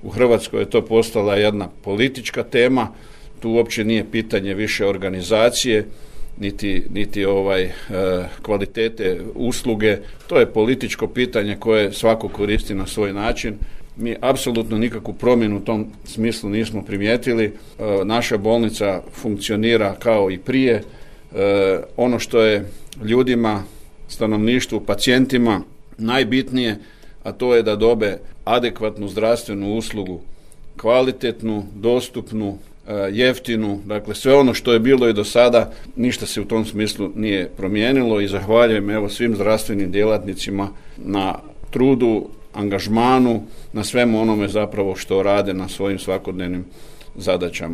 U Hrvatskoj je to postala jedna politička tema, tu uopće nije pitanje više organizacije, niti kvalitete usluge, to je političko pitanje koje svako koristi na svoj način. Mi apsolutno nikakvu promjenu u tom smislu nismo primijetili. Naša bolnica funkcionira kao i prije. Ono što je ljudima, stanovništvu, pacijentima najbitnije, a to je da dobe adekvatnu zdravstvenu uslugu, kvalitetnu, dostupnu, jeftinu, dakle sve ono što je bilo i do sada, ništa se u tom smislu nije promijenilo i zahvaljujem svim zdravstvenim djelatnicima na trudu, angažmanu, na svemu onome zapravo što rade na svojim svakodnevnim zadaćama.